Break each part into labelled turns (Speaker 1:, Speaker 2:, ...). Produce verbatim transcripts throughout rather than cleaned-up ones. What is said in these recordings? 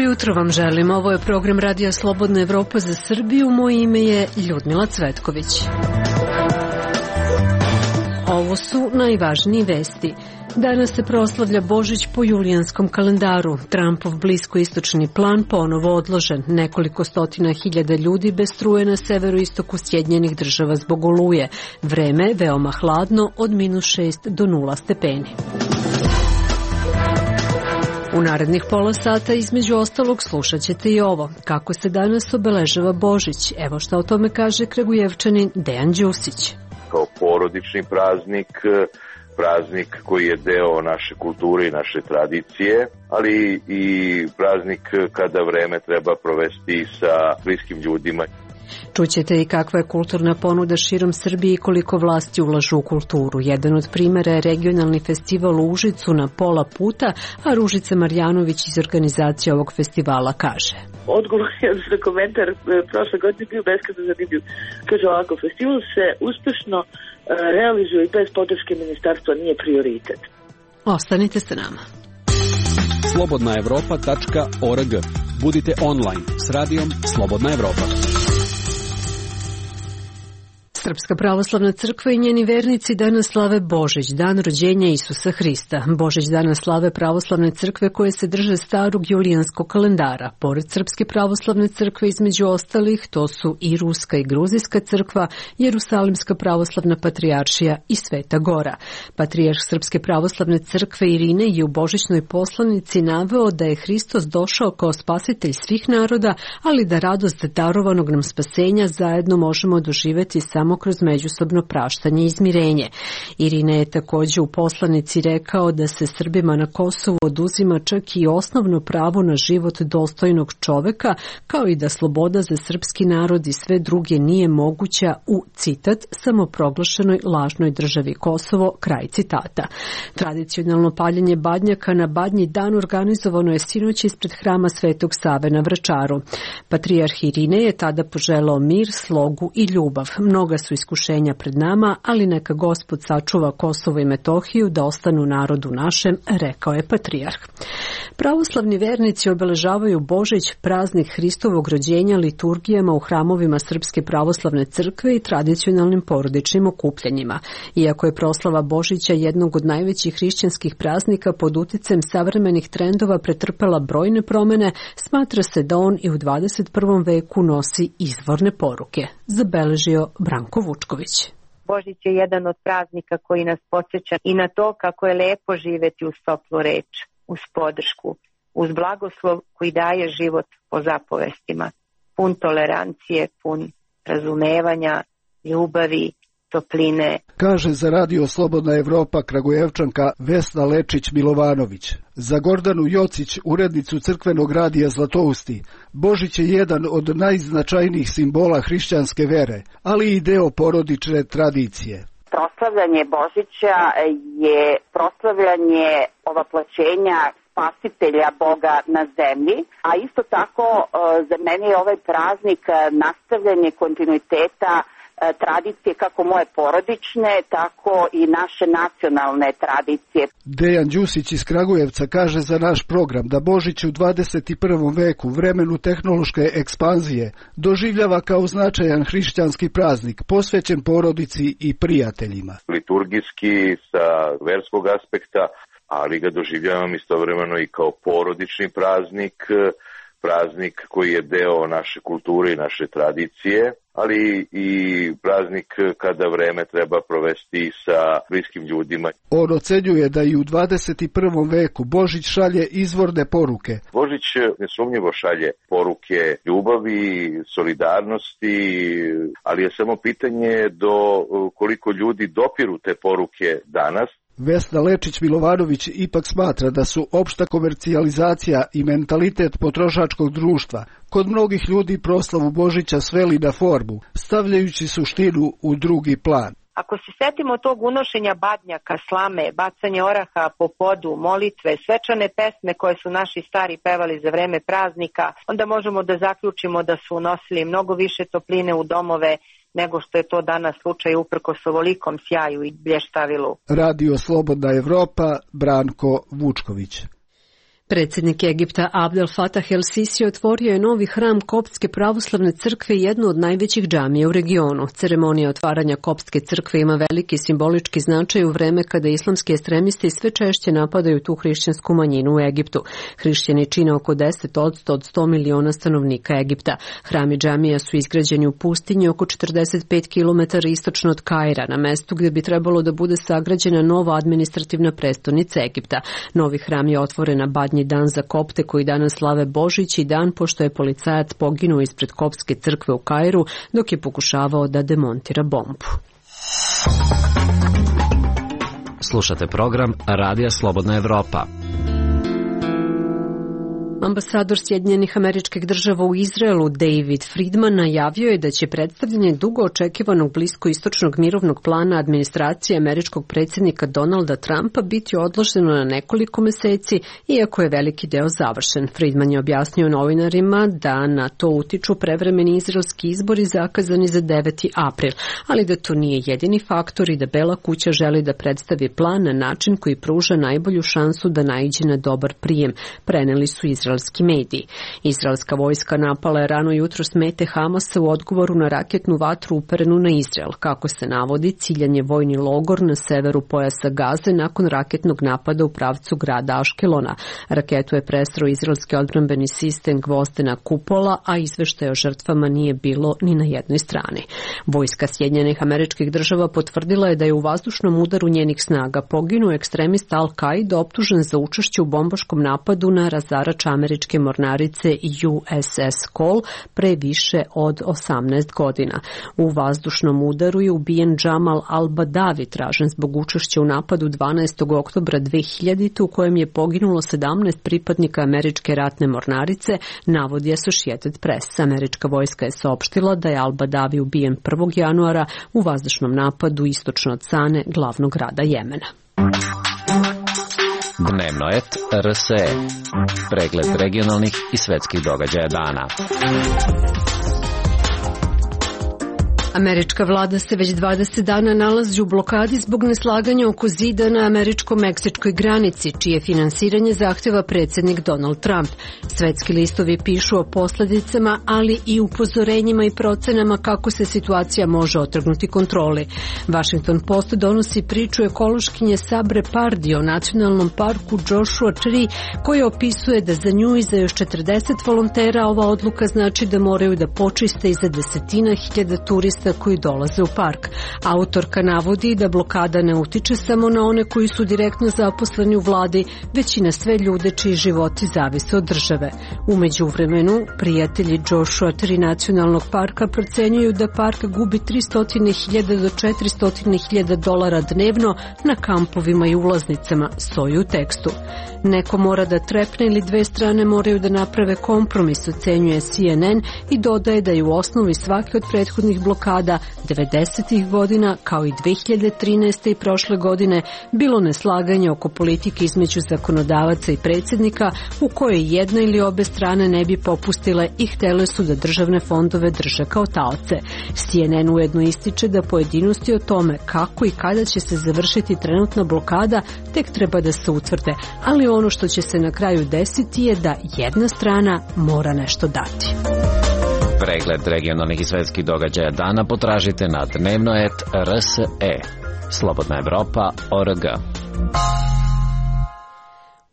Speaker 1: Jutro vam želim. Ovo je program Radija Slobodna Evropa za Srbiju. Moje ime je Ljudmila Cvetković. Ovo su najvažnije vesti. Danas se proslavlja Božić po julijanskom kalendaru. Trumpov bliskoistočni plan ponovo odložen. Nekoliko stotina hiljada ljudi bez struje na severoistoku Sjedinjenih Država zbog oluje. Vreme veoma hladno od minus šest do nula stepeni. U narednih pola sata između ostalog slušat ćete i ovo. Kako se danas obeležava Božić? Evo šta o tome kaže Kragujevčanin Dejan Đusić.
Speaker 2: Kao porodični praznik, praznik koji je deo naše kulture i naše tradicije, ali i praznik kada vreme treba provesti sa bliskim ljudima.
Speaker 1: Čućete i kakva je kulturna ponuda širom Srbije i koliko vlasti ulažu u kulturu. Jedan od primjera je regionalni festival u Užicu na pola puta, a Ružica Marjanović iz organizacije ovog festivala kaže.
Speaker 3: Odgovor za komentar prošle godine bio beskrajno zanimljiv. Kaže ovako, festival se uspešno realizuje i bez podrške ministarstva nije prioritet.
Speaker 1: Ostanite sa nama.
Speaker 4: slobodna evropa tačka org. Budite online s radijom Slobodna Evropa.
Speaker 1: Srpska pravoslavna crkva i njeni vernici danas slave Božić, dan rođenja Isusa Hrista. Božić danas slave pravoslavne crkve koje se drže starog julijanskog kalendara. Pored Srpske pravoslavne crkve između ostalih, to su i Ruska i Gruzijska crkva, Jerusalimska pravoslavna patrijaršija i Sveta Gora. Patrijarh Srpske pravoslavne crkve Irine je u božićnoj poslanici naveo da je Hristos došao kao spasitelj svih naroda, ali da radost darovanog nam spasenja zajedno možemo doživjeti samo kroz međusobno praštanje i izmirenje. Irina je također u poslanici rekao da se Srbima na Kosovu oduzima čak i osnovno pravo na život dostojnog čoveka, kao i da sloboda za srpski narod i sve druge nije moguća u, citat, samoproglašenoj lažnoj državi Kosovo, kraj citata. Tradicionalno paljenje badnjaka na Badnji dan organizovano je sinoć ispred hrama Svetog Save na Vračaru. Patrijarh Irine je tada poželao mir, slogu i ljubav. Mnoga su iskušenja pred nama, ali neka Gospod sačuva Kosovo i Metohiju da ostanu narodu našem, rekao je patrijarh. Pravoslavni vernici obeležavaju Božić, praznik Hristovog rođenja, liturgijama u hramovima Srpske pravoslavne crkve i tradicionalnim porodičnim okupljanjima. Iako je proslava Božića jednog od najvećih hrišćanskih praznika pod uticajem savremenih trendova pretrpela brojne promene, smatra se da on i u dvadeset prvom veku nosi izvorne poruke, zabeležio Branko Vučković.
Speaker 5: Božić je jedan od praznika koji nas podsjeća i na to kako je lepo živjeti uz toplu reč, uz podršku, uz blagoslov koji daje život po zapovestima, pun tolerancije, pun razumevanja, ljubavi, topline.
Speaker 6: Kaže za Radio Slobodna Evropa Kragujevčanka Vesna Lečić-Milovanović. Za Gordanu Jocić, urednicu crkvenog radija Zlatousti, Božić je jedan od najznačajnijih simbola hrišćanske vere, ali i deo porodične tradicije.
Speaker 7: Proslavljanje Božića je proslavljanje ovaploćenja spasitelja Boga na zemlji, a isto tako za mene je ovaj praznik nastavljanje kontinuiteta tradicije kako moje porodične, tako i naše nacionalne tradicije.
Speaker 6: Dejan Đusić iz Kragujevca kaže za naš program da Božić u dvadeset prvom veku, vremenu tehnološke ekspanzije, doživljava kao značajan hrišćanski praznik, posvećen porodici i prijateljima.
Speaker 2: Liturgijski sa verskog aspekta, ali ga doživljavam istovremeno i kao porodični praznik, praznik koji je deo naše kulture i naše tradicije, ali i praznik kada vreme treba provesti sa bliskim ljudima.
Speaker 6: On ocenjuje da i u dvadeset prvom veku Božić šalje izvorne poruke.
Speaker 2: Božić nesumnjivo šalje poruke ljubavi, solidarnosti, ali je samo pitanje do koliko ljudi dopiru te poruke danas.
Speaker 6: Vesna Lečić-Milovanović ipak smatra da su opšta komercijalizacija i mentalitet potrošačkog društva kod mnogih ljudi proslavu Božića sveli na formu, stavljajući suštinu u drugi plan.
Speaker 5: Ako se setimo tog unošenja badnjaka, slame, bacanje oraha po podu, molitve, svečane pesme koje su naši stari pevali za vreme praznika, onda možemo da zaključimo da su unosili mnogo više topline u domove nego što je to danas slučaj uprkos ovolikom sjaju i blještavilu.
Speaker 6: Radio Slobodna Evropa, Branko Vučković.
Speaker 1: Predsjednik Egipta Abdel Fattah el-Sisi otvorio je novi hram Koptske pravoslavne crkve, jednu od najvećih džamija u regionu. Ceremonija otvaranja Koptske crkve ima veliki simbolički značaj u vreme kada islamski ekstremisti sve češće napadaju tu hrišćansku manjinu u Egiptu. Hrišćani čine oko deset posto od sto miliona stanovnika Egipta. Hram i džamija su izgrađeni u pustinji oko četrdeset pet kilometara istočno od Kaira, na mestu gdje bi trebalo da bude sagrađena nova administrativna prestonica Egipta. Novi hram je otvoren na Badnji dan za Kopte koji danas slave Božić i dan pošto je policajac poginuo ispred Koptske crkve u Kairu dok je pokušavao da demontira bombu.
Speaker 8: Slušate program Radija Slobodna Evropa.
Speaker 1: Ambasador Sjedinjenih Američkih Država u Izraelu David Friedman najavio je da će predstavljanje dugo očekivanog bliskoistočnog mirovnog plana administracije američkog predsjednika Donalda Trumpa biti odloženo na nekoliko meseci, iako je veliki deo završen. Friedman je objasnio novinarima da na to utiču prevremeni izraelski izbori zakazani za deveti april, ali da to nije jedini faktor i da Bela kuća želi da predstavi plan na način koji pruža najbolju šansu da naiđe na dobar prijem, preneli su izraelski mediji. Izraelska vojska napala je rano jutro mete Hamasa u odgovoru na raketnu vatru uperenu na Izrael. Kako se navodi, ciljan je vojni logor na severu pojasa Gaze nakon raketnog napada u pravcu grada Aškelona. Raketu je presreo izraelski odbrambeni sistem Gvozdena kupola, a izveštaja o žrtvama nije bilo ni na jednoj strani. Vojska Sjedinjenih Američkih Država potvrdila je da je u vazdušnom udaru njenih snaga poginuo ekstremista Al-Qaida optužen za učešće u bombaškom napadu na razarač američke mornarice U S S Cole pre više od osamnaest godina. U vazdušnom udaru je ubijen Jamal al-Badavi, tražen zbog učešća u napadu dvanaestog oktobra dve hiljadite. u kojem je poginulo sedamnaest pripadnika američke ratne mornarice, navodi Associated Press. Američka vojska je saopštila da je al-Badavi ubijen prvog januara u vazdušnom napadu istočno od Sane, glavnog grada Jemena.
Speaker 8: Dnevno et R S E. Pregled regionalnih i svetskih događaja dana.
Speaker 1: Američka vlada se već dvadeset dana nalazi u blokadi zbog neslaganja oko zida na američko-meksičkoj granici, čije finansiranje zahteva predsjednik Donald Trump. Svetski listovi pišu o posljedicama, ali i upozorenjima i procenama kako se situacija može otrgnuti kontroli. Washington Post donosi priču ekološkinje Sabre Pardi o nacionalnom parku Joshua Tree, koji opisuje da za nju i za još četrdeset volontera ova odluka znači da moraju da počiste i za desetina hiljada turista koji dolaze u park. Autorka navodi da blokada ne utiče samo na one koji su direktno zaposleni u vladi, već i na sve ljude čiji životi zavise od države. U međuvremenu, prijatelji Joshua Tree nacionalnog parka procenjuju da park gubi tristo hiljada do četiristo hiljada dolara dnevno na kampovima i ulaznicama, stoji u tekstu. Neko mora da trepne ili dve strane moraju da naprave kompromis, ocenjuje C N N i dodaje da je u osnovi svake od prethodnih blokada devedesetih godina kao i dve hiljade trinaeste. i prošle godine bilo neslaganje oko politike između zakonodavaca i predsjednika u kojoj jedna ili obe strane ne bi popustile i htele su da državne fondove drže kao taoce. C N N ujedno ističe da pojedinosti o tome kako i kada će se završiti trenutna blokada tek treba da se utvrde, ali ono što će se na kraju desiti je da jedna strana mora nešto dati.
Speaker 8: Pregled regionalnih i svetskih događaja dana potražite na dnevno et R S E. Slobodna Evropa, O R G.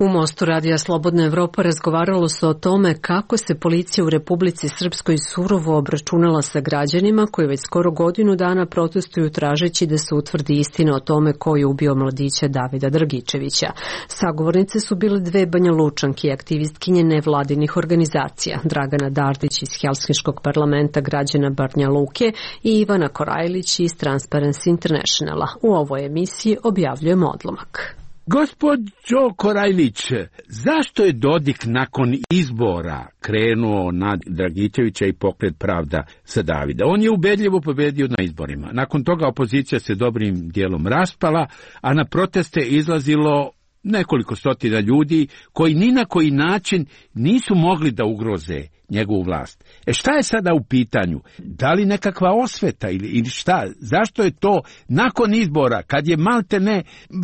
Speaker 1: U Mostu Radija Slobodna Evropa razgovaralo se o tome kako se policija u Republici Srpskoj surovo obračunala sa građanima koji već skoro godinu dana protestuju tražeći da se utvrdi istina o tome ko je ubio mladića Davida Dragičevića. Sagovornice su bile dve Banja Lučanke i aktivistkinje nevladinih organizacija, Dragana Dardić iz Helsinškog parlamenta građana Banja Luke i Ivana Korajlić iz Transparency Internationala. U ovoj emisiji objavljujemo odlomak.
Speaker 9: Gospođo Korajlić, zašto je Dodik nakon izbora krenuo na Dragičevića i Pokret Pravda za Davida? On je ubedljivo pobedio na izborima. Nakon toga opozicija se dobrim dijelom raspala, a na proteste izlazilo nekoliko stotina ljudi koji ni na koji način nisu mogli da ugroze njegovu vlast. E šta je sada u pitanju? Da li nekakva osveta ili, ili šta? Zašto je to nakon izbora, kad je malte ne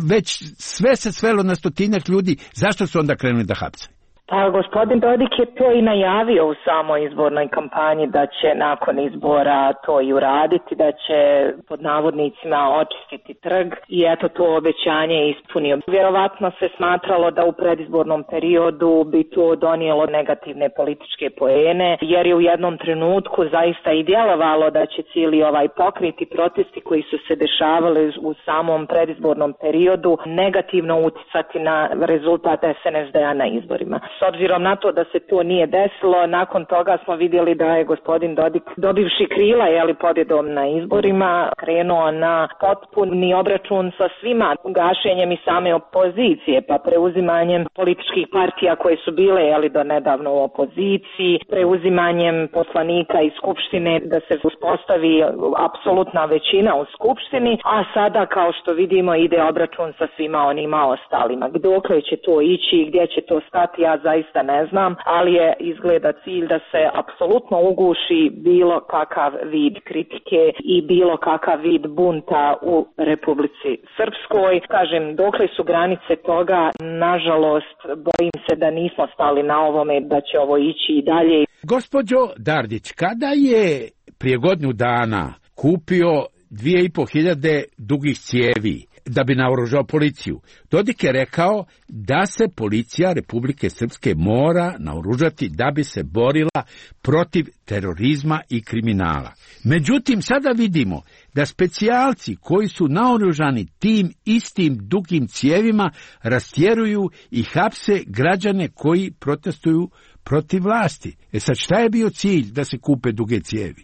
Speaker 9: već sve se svelo na stotinjak ljudi, zašto su onda krenuli da hapse?
Speaker 10: Pa gospodin Dodik je to i najavio u samoj izbornoj kampanji da će nakon izbora to i uraditi, da će pod navodnicima očistiti trg i eto to obećanje je ispunio. Vjerovatno se smatralo da u predizbornom periodu bi to donijelo negativne političke poene, jer je u jednom trenutku zaista i djelovalo da će cijeli ovaj pokret i protesti koji su se dešavali u samom predizbornom periodu negativno uticati na rezultat es en es de-a na izborima. S obzirom na to da se to nije desilo, nakon toga smo vidjeli da je gospodin Dodik, dobivši krila jeli, pobjedom na izborima, krenuo na potpuni obračun sa svima, gašenjem i same opozicije, pa preuzimanjem političkih partija koje su bile jeli, do nedavno u opoziciji, preuzimanjem poslanika iz Skupštine da se uspostavi apsolutna većina u Skupštini, a sada kao što vidimo ide obračun sa svima onima ostalima. Dokle će to ići, gdje će to stati, ja zaista ne znam, ali je izgleda cilj da se apsolutno uguši bilo kakav vid kritike i bilo kakav vid bunta u Republici Srpskoj. Kažem, dokle su granice toga, nažalost, bojim se da nismo stali na ovome, da će ovo ići i dalje.
Speaker 9: Gospođo Dardić, kada je prije godinu dana kupio dvije i po hiljade dugih cijevi da bi naoružao policiju, Dodik je rekao da se policija Republike Srpske mora naoružati da bi se borila protiv terorizma i kriminala. Međutim, sada vidimo da specijalci koji su naoružani tim istim dugim cijevima rastjeruju i hapse građane koji protestuju protiv vlasti. E sad, šta je bio cilj da se kupe duge cijevi?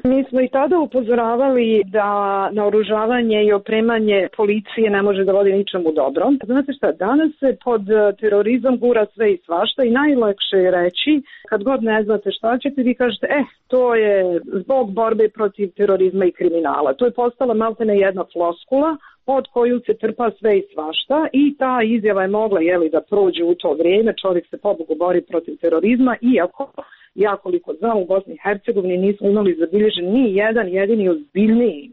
Speaker 11: Mi smo i tada upozoravali da naoružavanje i opremanje policije ne može da vodi ničemu dobro. Znate šta, danas se pod terorizam gura sve i svašta i najlakše je reći, kad god ne znate šta ćete, vi kažete, eh, to je zbog borbe protiv terorizma i kriminala. To je postala maltene jedna floskula pod koju se trpa sve i svašta i ta izjava je mogla jeli, da prođe u to vrijeme, čovjek se pobogu bori protiv terorizma, iako ja koliko znam u Bosni i Hercegovini nismo imali zabilježen ni jedan jedini ozbiljniji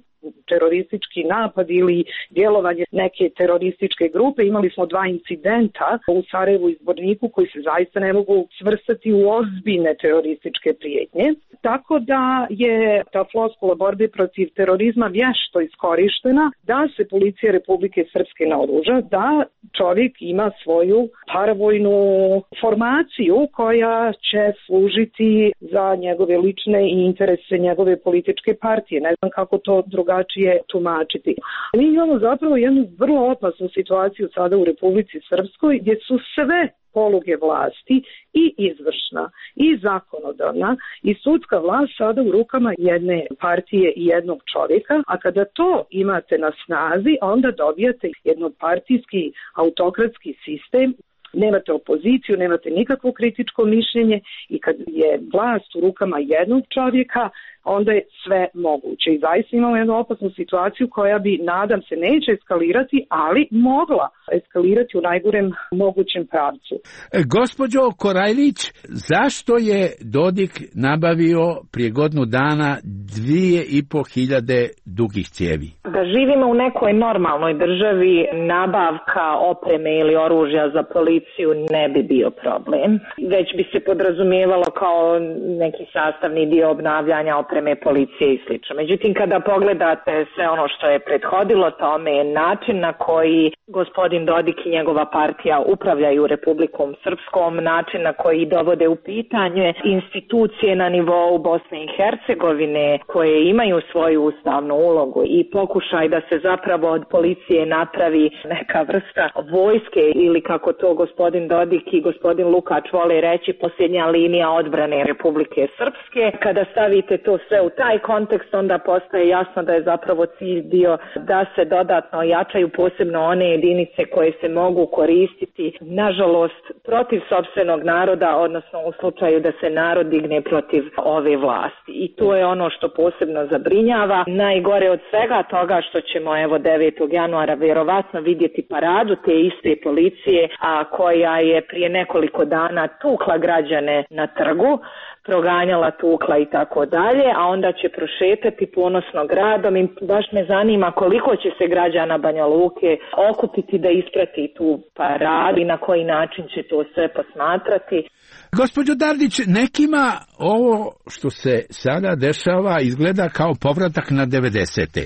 Speaker 11: teroristički napad ili djelovanje neke terorističke grupe. Imali smo dva incidenta u Sarajevu i Zvorniku koji se zaista ne mogu svrstati u ozbiljne terorističke prijetnje. Tako da je ta floskula borbe protiv terorizma vješto iskorištena da se policija Republike Srpske naoruža, da čovjek ima svoju paravojnu formaciju koja će služiti za njegove lične i interese njegove političke partije. Ne znam kako to drugačije tumačiti. Mi imamo zapravo jednu vrlo opasnu situaciju sada u Republici Srpskoj gdje su sve poluge vlasti i izvršna i zakonodavna i sudska vlast sada u rukama jedne partije i jednog čovjeka, a kada to imate na snazi, onda dobijate jednopartijski autokratski sistem. Nemate opoziciju, nemate nikakvo kritičko mišljenje i kad je vlast u rukama jednog čovjeka, onda je sve moguće. I zaista imamo jednu opasnu situaciju koja bi, nadam se, neće eskalirati, ali mogla eskalirati u najgorem mogućem pravcu.
Speaker 9: Gospođo Korajlić, zašto je Dodik nabavio prije godinu dana dvije i po hiljade dugih cijevi?
Speaker 10: Da živimo u nekoj normalnoj državi, nabavka opreme ili oružja za policiju ne bi bio problem. Već bi se podrazumijevalo kao neki sastavni dio obnavljanja opreme policije i slično. Međutim, kada pogledate sve ono što je prethodilo tome, način na koji gospodin Dodik i njegova partija upravljaju Republikom Srpskom, način na koji dovode u pitanje institucije na nivou Bosne i Hercegovine koje imaju svoju ustavnu ulogu i pokušaj da se zapravo od policije napravi neka vrsta vojske ili kako to gospodin Dodik i gospodin Lukač vole reći, posljednja linija odbrane Republike Srpske. Kada stavite to sve u taj kontekst, onda postaje jasno da je zapravo cilj bio da se dodatno ojačaju posebno one jedinice koje se mogu koristiti, nažalost, protiv sopstvenog naroda, odnosno u slučaju da se narod digne protiv ove vlasti. I to je ono što posebno zabrinjava. Najgore od svega toga što ćemo evo devetog januara vjerovatno vidjeti paradu te iste policije, a koja je prije nekoliko dana tukla građane na trgu, proganjala, tukla i tako dalje, a onda će prošetati ponosno gradom i baš me zanima koliko će se građana Banja Luke okupiti da isprati tu paradu i na koji način će to sve posmatrati.
Speaker 9: Gospođo Dardić, nekima ovo što se sada dešava izgleda kao povratak na devedesete.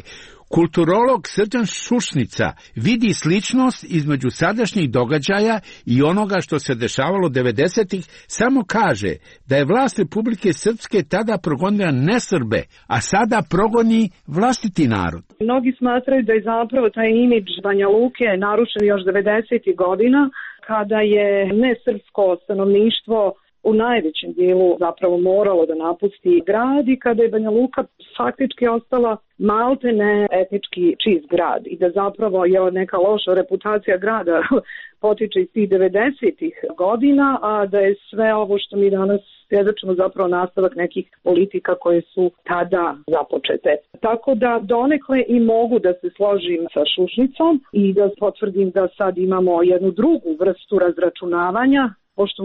Speaker 9: Kulturolog Srđan Šušnica vidi sličnost između sadašnjih događaja i onoga što se dešavalo devedesetih, samo kaže da je vlast Republike Srpske tada progonila nesrbe, a sada progoni vlastiti narod.
Speaker 11: Mnogi smatraju da je zapravo taj imidž Banja Luke narušen još devedesetih godina, kada je nesrpsko stanovništvo u najvećem dijelu zapravo moralo da napusti grad i kada je Banja Luka faktički ostala maltene etnički čist grad i da zapravo je neka loša reputacija grada potiče iz tih devedesetih godina, a da je sve ovo što mi danas svjedočimo zapravo nastavak nekih politika koje su tada započete. Tako da donekle i mogu da se složim sa Šušnicom i da potvrdim da sad imamo jednu drugu vrstu razračunavanja, pošto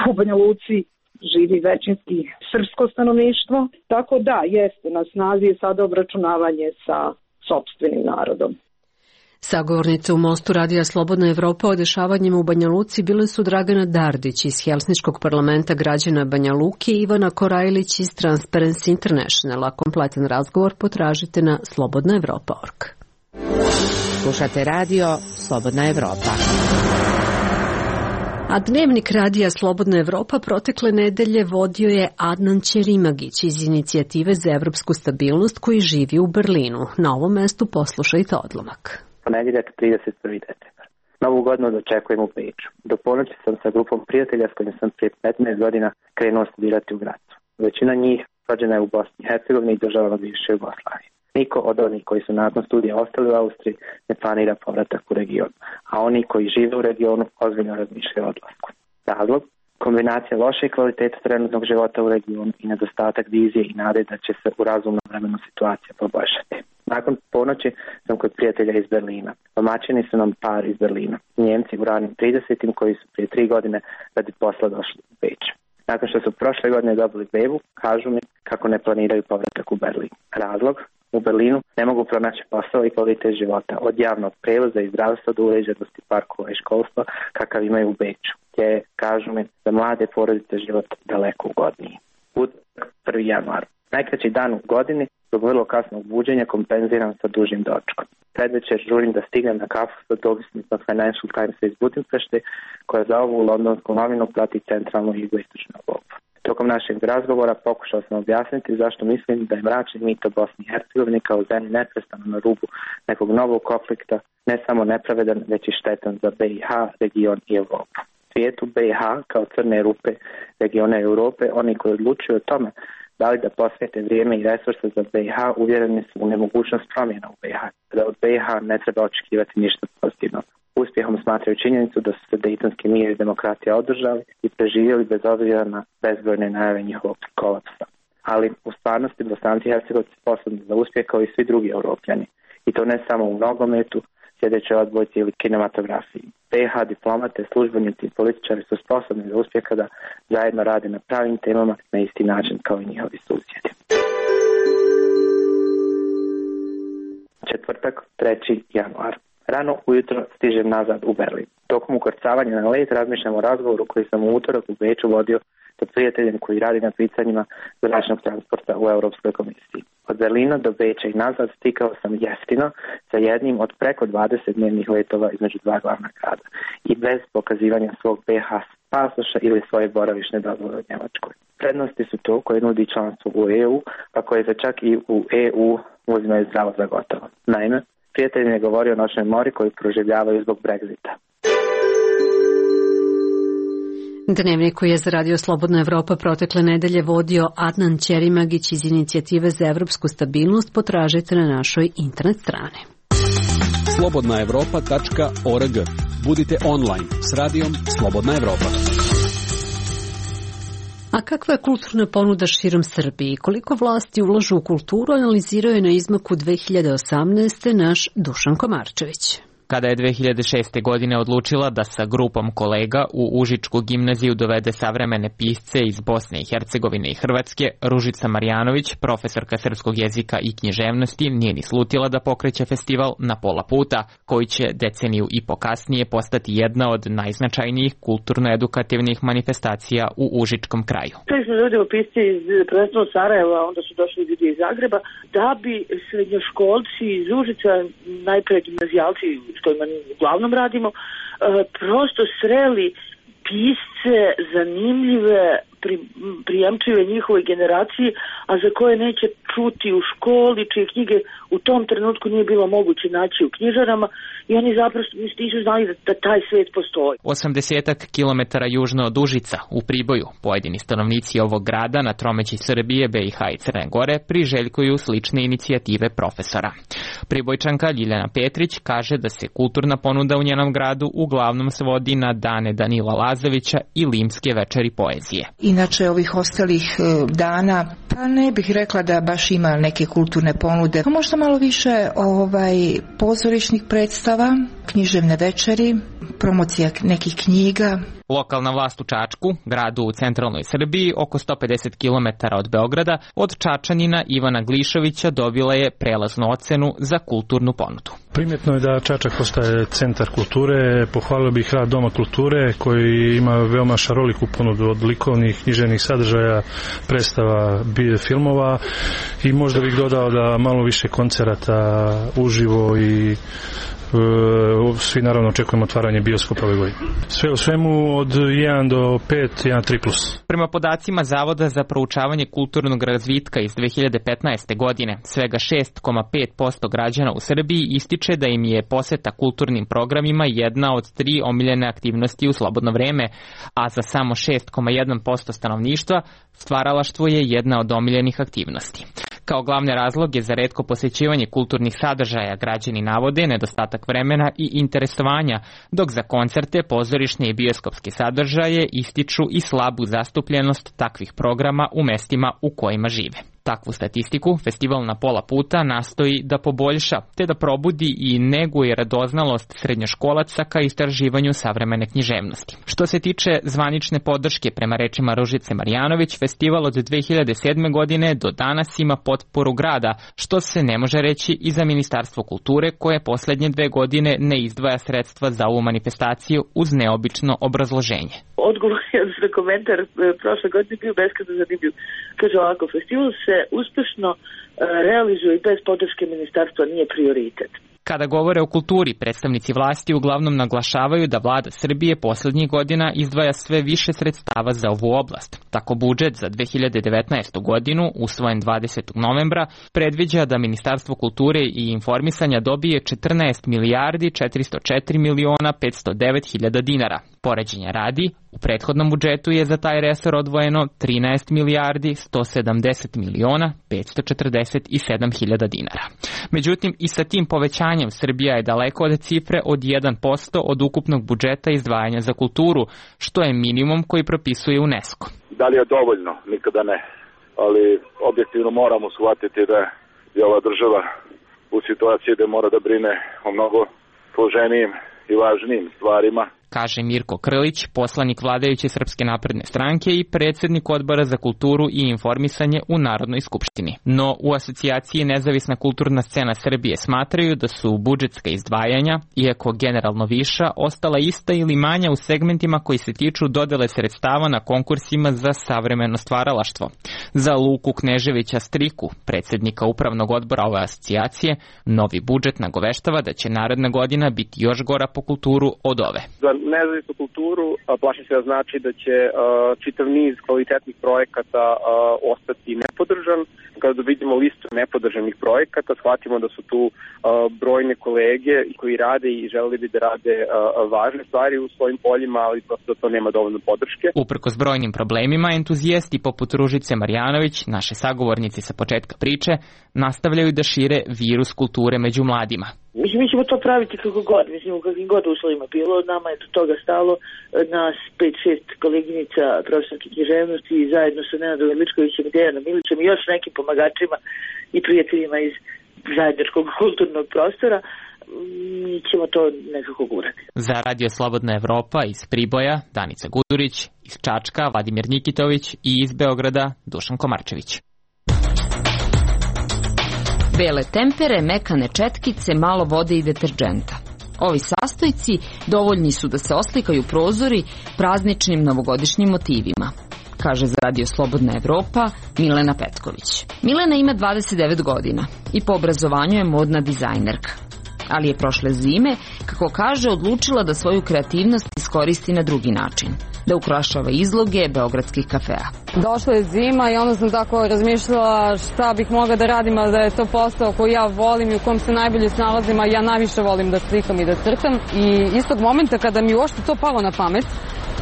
Speaker 11: u Banja Luci živi većinski srpsko stanovništvo. Tako da, jeste, na snazi je sada obračunavanje sa sopstvenim narodom.
Speaker 1: Sagovornice u Mostu Radija Slobodna Evropa o dešavanjima u Banja Luci bile su Dragana Dardić iz Helsinškog parlamenta građana Banja Luke i Ivana Korajlić iz Transparency Internationala. Kompletan razgovor potražite na slobodna evropa tačka org.
Speaker 12: Slušate radio Slobodna Evropa.
Speaker 1: A dnevnik radija Slobodna Evropa protekle nedelje vodio je Adnan Ćerimagić iz Inicijative za evropsku stabilnost koji živi u Berlinu. Na ovom mestu poslušajte odlomak.
Speaker 13: Ponedjeljak trideset prvi decembar. Novu godinu dočekujem u Beču. Do ponoći sam sa grupom prijatelja s kojim sam prije petnaest godina krenuo studirati u Gracu. Većina njih rođena je u Bosni i Hercegovini i državama bivše Jugoslavije. Niko od onih koji su nakon studija ostali u Austriji ne planira povratak u region, a oni koji žive u regionu ozbiljno razmišljaju o odlasku. Razlog? Kombinacija loše kvalitete trenutnog života u regionu i nedostatak vizije i nade da će se u razumnom vremenu situacija poboljšati. Nakon ponoći sam kod prijatelja iz Berlina. Domaćini su nam par iz Berlina. Njemci u ranim tridesetim koji su prije tri godine radi posla došli u Beč. Nakon što su prošle godine dobili bebu, kažu mi kako ne planiraju povratak u Berlin. Razlog? U Berlinu ne mogu pronaći posao i kvalitet života, od javnog prevoza i zdravstva do uređenosti parkova i školstva kakav imaju u Beču, gdje kažu mi da mlade porodice život daleko ugodniji. Utorak prvi januar. Najkraći dan u godini zbog vrlo kasnog buđenja kompenziram sa dužim dočkom. Predvečer žurim da stignem na kafu sa dopisnicom Financial Times iz Budimpešte, koja za ovu londonsku novinu prati centralnu i jugoistočnu Evropu. Tokom našeg razgovora pokušao sam objasniti zašto mislim da je mračni mit o Bosni i Hercegovini kao zemlji neprestano na rubu nekog novog konflikta ne samo nepravedan, već i štetan za B i H, region i Evropu. Svijetu B i H kao crne rupe regiona Europe, oni koji odlučuju o tome da li da posvete vrijeme i resurse za B i H, uvjereni su u nemogućnost promjena u B i H, da od B i H ne treba očekivati ništa pozitivno. Uspjehom smatraju činjenicu da su se dejtonski mir i demokratija održali i preživjeli bez obzira na bezbrojne najave njihovog kolapsa. Ali u stvarnosti Bosanci i Hercegovci sposobni za uspjeh kao i svi drugi Europljani. I to ne samo u nogometu, sjedećoj odbojci ili kinematografiji. B i H diplomate, službenici i političari su sposobni za uspjeh kada zajedno rade na pravim temama na isti način kao i njihovi susjedi. Četvrtak, treći januar. Rano ujutro stižem nazad u Berlin. Tokom ukrcavanja na let razmišljam o razgovoru koji sam u utorak u Beču vodio sa prijateljem koji radi na pitanjima zračnog transporta u Europskoj komisiji. Od Berlina do Beča i nazad stikao sam jeftino sa jednim od preko dvadeset dnevnih letova između dva glavna grada i bez pokazivanja svog B i H pasoša ili svoje boravišne dozvole u Njemačkoj. Prednosti su to koje nudi članstvo u E U, a koje se čak i u E U uzimaju zdravo za gotovo. Naime, prijatelj mi je govorio o noćnoj mori koju proživljavaju zbog Brexita.
Speaker 1: Dnevnik koji je za Radio Slobodna Evropa protekle nedelje vodio Adnan Ćerimagić iz Inicijative za evropsku stabilnost potražite na našoj internet strani.
Speaker 4: slobodna evropa tačka org. Budite online s radijom Slobodna Evropa.
Speaker 1: A kakva je kulturna ponuda širom Srbiji? Koliko vlasti ulažu u kulturu, analizirao je na izmaku dve hiljade osamnaeste. naš Dušan Komarčević.
Speaker 14: Kada je dve hiljade šeste. godine odlučila da sa grupom kolega u Užičku gimnaziju dovede savremene pisce iz Bosne i Hercegovine i Hrvatske, Ružica Marjanović, profesorka srpskog jezika i književnosti, nije ni slutila da pokreće festival Na pola puta, koji će deceniju i po kasnije postati jedna od najznačajnijih kulturno-edukativnih manifestacija u Užičkom kraju.
Speaker 3: Sve smo ljudi pisci iz prvenstveno Sarajeva, onda su došli ljudi iz Zagreba, da bi srednjoškolci iz Užica, najpre gimnazijalci, s kojima uglavnom radimo, prosto sreli pisce zanimljive, pri, prijemčive njihovoj generaciji, a za koje neće čuti u školi, čije knjige u tom trenutku nije bilo moguće naći u knjižarama i oni zapravo nisu znali da, da taj svet postoji.
Speaker 14: osamdeset kilometara južno od Užica, u Priboju, pojedini stanovnici ovog grada na tromeći Srbije, B i H i Crne Gore priželjkuju slične inicijative profesora. Pribojčanka Ljiljana Petrić kaže da se kulturna ponuda u njenom gradu uglavnom svodi na dane Danila Lazovića i limske večeri poezije.
Speaker 15: Inače ovih ostalih dana, pa ne bih rekla da baš ima neke kulturne ponude. Možda malo više ovaj, pozorišnih predstava, književne večeri, promocija nekih knjiga.
Speaker 14: Lokalna vlast u Čačku, gradu u centralnoj Srbiji, oko sto pedeset kilometara od Beograda, od Čačanina Ivana Glišovića dobila je prelaznu ocenu za kulturnu ponudu.
Speaker 16: Primjetno je da Čačak postaje centar kulture. Pohvalio bih rad Doma kulture koji ima veoma šaroliku ponudu od likovnih, književnih sadržaja, predstava, filmova i možda bih dodao da malo više koncerata uživo i svi naravno očekujemo otvaranje bioskopa ove godine. Sve u svemu od jedan do pet, jedan tri plus.
Speaker 14: Prema podacima Zavoda za proučavanje kulturnog razvitka iz dve hiljade petnaeste. godine, svega šest zarez pet posto građana u Srbiji ističe da im je poseta kulturnim programima jedna od tri omiljene aktivnosti u slobodno vreme, a za samo šest zarez jedan posto stanovništva stvaralaštvo je jedna od omiljenih aktivnosti. Kao glavne razloge za retko posjećivanje kulturnih sadržaja građani navode nedostatak vremena i interesovanja, dok za koncerte, pozorišne i bioskopske sadržaje ističu i slabu zastupljenost takvih programa u mestima u kojima žive. Takvu statistiku festival Na pola puta nastoji da poboljša, te da probudi i neguje radoznalost srednjoškolaca ka istraživanju savremene književnosti. Što se tiče zvanične podrške prema rečima Ružice Marjanović, festival od dve hiljade sedme. godine do danas ima potporu grada, što se ne može reći i za Ministarstvo kulture, koje poslednje dve godine ne izdvaja sredstva za ovu manifestaciju uz neobično obrazloženje.
Speaker 3: Odgovor za komentar prošle godine bio beskrajno zanimljiv. Kaže ovako, festival se uspešno realizuje i bez podrške ministarstva nije prioritet.
Speaker 14: Kada govore o kulturi, predstavnici vlasti uglavnom naglašavaju da vlada Srbije poslednjih godina izdvaja sve više sredstava za ovu oblast. Tako budžet za dve hiljade devetnaestu. godinu, usvojen dvadesetog novembra, predviđa da Ministarstvo kulture i informisanja dobije četrnaest milijardi četiristo četiri miliona petsto devet hiljada dinara. Poređenja radi, u prethodnom budžetu je za taj resor odvojeno trinaest milijardi sto sedamdeset miliona petsto četrdeset sedam hiljada dinara. Međutim, i sa tim povećanjem Srbija je daleko od cifre od jedan posto od ukupnog budžeta izdvajanja za kulturu, što je minimum koji propisuje UNESCO.
Speaker 17: Da li je dovoljno? Nikada ne. Ali objektivno moramo shvatiti da je ova država u situaciji da mora da brine o mnogo složenijim i važnijim stvarima.
Speaker 14: Kaže Mirko Krlić, poslanik vladajuće Srpske napredne stranke i predsjednik Odbora za kulturu i informisanje u Narodnoj skupštini. No, u asocijaciji Nezavisna kulturna scena Srbije smatraju da su budžetska izdvajanja, iako generalno viša, ostala ista ili manja u segmentima koji se tiču dodele sredstava na konkursima za savremeno stvaralaštvo. Za Luku Kneževića Striku, predsjednika upravnog odbora ove asocijacije, novi budžet nagoveštava da će naredna godina biti još gora po kulturu od ove.
Speaker 18: Za nezavisnu kulturu plašim se da znači da će uh, čitav niz kvalitetnih projekata uh, ostati podržan. Kada vidimo listu nepodržanih projekata, shvatimo da su tu uh, brojne kolege koji rade i želeli bi da rade uh, važne stvari u svojim poljima, ali prosto to nema dovoljno podrške.
Speaker 14: Uprkos brojnim problemima, entuzijasti poput Ružice Marjanović, naše sagovornici sa početka priče, nastavljaju da šire virus kulture među mladima.
Speaker 3: Mislim, mi ćemo to praviti kako god, mislim, u kakvim god uslovima bilo, nama je do toga stalo, nas pet šest koleginica profesorke književnosti i zajedno sa Nenadom Ličkovićem i Dejanom Milićem i još nekim pomagačima i prijateljima iz zajedničkog kulturnog prostora, mi ćemo to nekako gurati.
Speaker 14: Za Radio Slobodna Evropa iz Priboja, Danica Gudurić, iz Čačka, Vladimir Nikitović i iz Beograda, Dušan Komarčević.
Speaker 19: Bele tempere, mekane četkice, malo vode i deterđenta. Ovi sastojci dovoljni su da se oslikaju prozori prazničnim novogodišnjim motivima, kaže za Radio Slobodna Evropa Milena Petković. Milena ima dvadeset devet godina i po obrazovanju je modna dizajnerka. Ali je prošle zime, kako kaže, odlučila da svoju kreativnost iskoristi na drugi način, da ukrašava izloge beogradskih kafea.
Speaker 20: Došla je zima i onda sam tako razmišljala šta bih mogla da radim, a da je to posao koji ja volim i u kom se najbolje snalazim, a ja najviše volim da slikam i da crtam. I istog momenta kada mi uopšte to palo na pamet,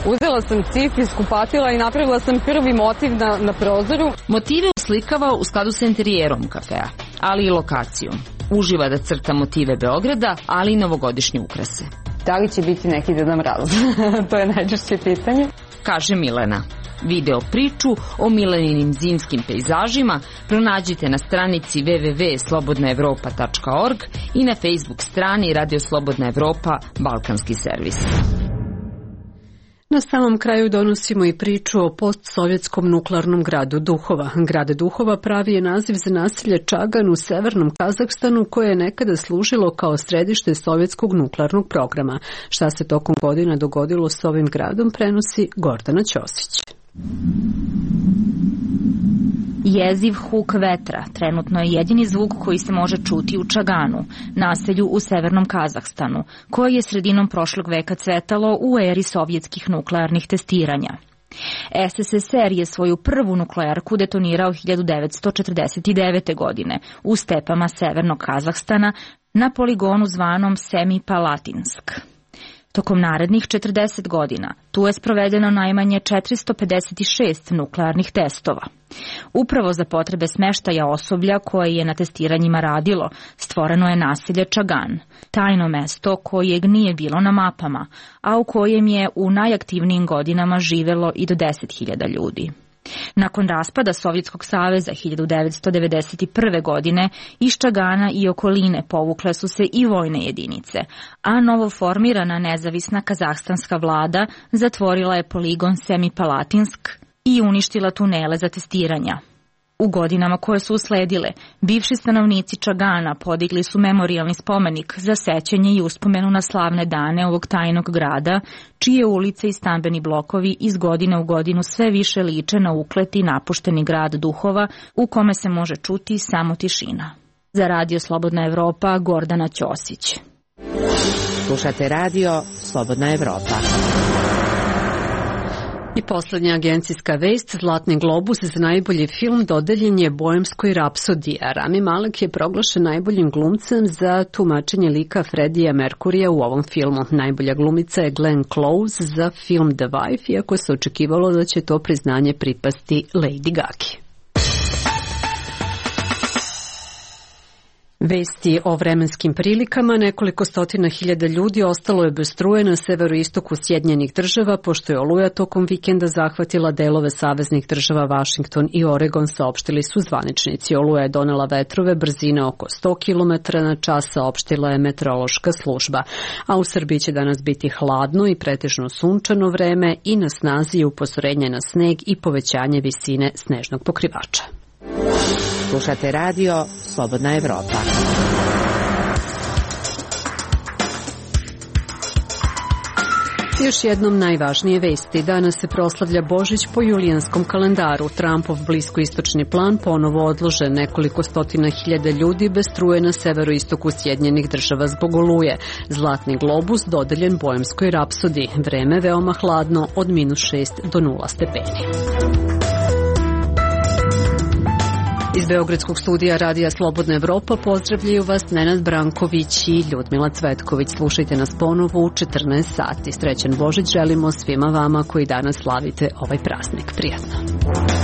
Speaker 20: uzela sam cif, iskupatila i napravila sam prvi motiv na, na prozoru.
Speaker 19: Motive uslikava u skladu sa interijerom kafea, ali i lokacijom. Uživa da crta motive Beograda, ali i novogodišnje ukrase.
Speaker 20: Da li će biti neki Deda Mraz? To je najčešće pitanje.
Speaker 19: Kaže Milena. Video priču o Mileninim zimskim pejzažima pronađite na stranici w w w tačka slobodna evropa tačka org i na Facebook strani Radio Slobodna Evropa Balkanski servis.
Speaker 1: Na samom kraju donosimo i priču o postsovjetskom nuklearnom gradu Duhova. Grad Duhova pravi je naziv za naselje Čagan u severnom Kazahstanu koje je nekada služilo kao središte sovjetskog nuklearnog programa. Šta se tokom godina dogodilo s ovim gradom prenosi Gordana Ćosić.
Speaker 21: Jeziv huk vetra trenutno je jedini zvuk koji se može čuti u Čaganu, naselju u severnom Kazahstanu, koje je sredinom prošlog veka cvetalo u eri sovjetskih nuklearnih testiranja. S S S R je svoju prvu nuklearku detonirao hiljadu devetsto četrdeset devete. godine u stepama severnog Kazahstana na poligonu zvanom Semipalatinsk. Tokom narednih četrdeset godina tu je sprovedeno najmanje četiristo pedeset šest nuklearnih testova. Upravo za potrebe smeštaja osoblja koje je na testiranjima radilo, stvoreno je naselje Čagan, tajno mesto kojeg nije bilo na mapama, a u kojem je u najaktivnijim godinama živelo i do deset hiljada ljudi. Nakon raspada Sovjetskog saveza hiljadu devetsto devedeset prve. godine iz Čagana i okoline povukle su se i vojne jedinice, a novoformirana nezavisna kazahstanska vlada zatvorila je poligon Semipalatinsk i uništila tunele za testiranja. U godinama koje su usledile, bivši stanovnici Čagana podigli su memorijalni spomenik za sećanje i uspomenu na slavne dane ovog tajnog grada, čije ulice i stambeni blokovi iz godine u godinu sve više liče na ukleti napušteni grad Duhova u kome se može čuti samo tišina. Za Radio Slobodna Evropa, Gordana Ćosić.
Speaker 12: Slušate Radio Slobodna Evropa.
Speaker 1: I poslednja agencijska vest, Zlatni globus za najbolji film dodeljen je Boemskoj rapsodiji, a Rami Malek je proglašen najboljim glumcem za tumačenje lika Freddija Merkurija u ovom filmu. Najbolja glumica je Glenn Close za film The Wife, iako se očekivalo da će to priznanje pripasti Lady Gagi. Vesti o vremenskim prilikama. Nekoliko stotina hiljada ljudi ostalo je bez struje na severoistoku Sjedinjenih država, pošto je oluja tokom vikenda zahvatila delove saveznih država Washington i Oregon, saopštili su zvaničnici. Oluja je donela vetrove brzine oko sto kilometara na čas, saopštila je meteorološka služba. A u Srbiji će danas biti hladno i pretežno sunčano vreme i na snazi je upozorenje na sneg i povećanje visine snežnog pokrivača.
Speaker 12: Slušate Radio Slobodna Evropa.
Speaker 1: Još jednom najvažnije vesti. Danas se proslavlja Božić po julijanskom kalendaru. Trumpov bliskoistočni plan ponovo odložen. Nekoliko stotina hiljada ljudi bez struje na severoistoku Sjedinjenih država zbog oluje. Zlatni globus dodeljen Boemskoj rapsodiji. Vreme veoma hladno od minus šest do nula stepeni. Iz Beogradskog studija Radija Slobodna Evropa pozdravljaju vas Nenad Branković i Ljudmila Cvetković. Slušajte nas ponovo u četrnaest sati. Srećan Božić želimo svima vama koji danas slavite ovaj praznik. Prijatno.